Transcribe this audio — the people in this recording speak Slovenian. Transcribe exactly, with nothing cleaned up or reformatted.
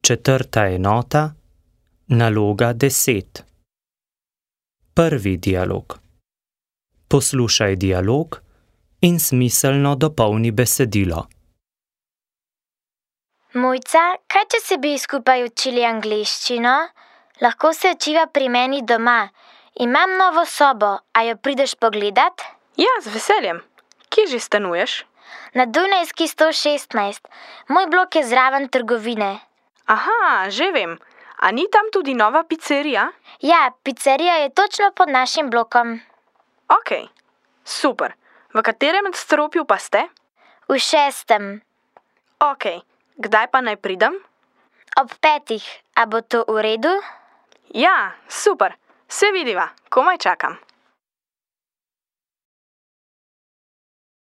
Četrta enota, naloga deset. Prvi dialog. Poslušaj dialog in smiselno dopolni besedilo. Mojca, kaj če se bi skupaj učili angleščino? Lahko se učiva pri meni doma. Imam novo sobo, a jo prideš pogledat? Ja, z veseljem. Kje že stanuješ? Na Dunajski sto šestnajst. Moj blok je zraven trgovine. Aha, že vem. A ni tam tudi nova pizzerija? Ja, pizzerija je točno pod našim blokom. Ok, super. V katerem nadstropju pa ste? V šestem. Ok, kdaj pa naj pridem? Ob petih. A bo to v redu? Ja, super. Se vidiva, komaj čakam.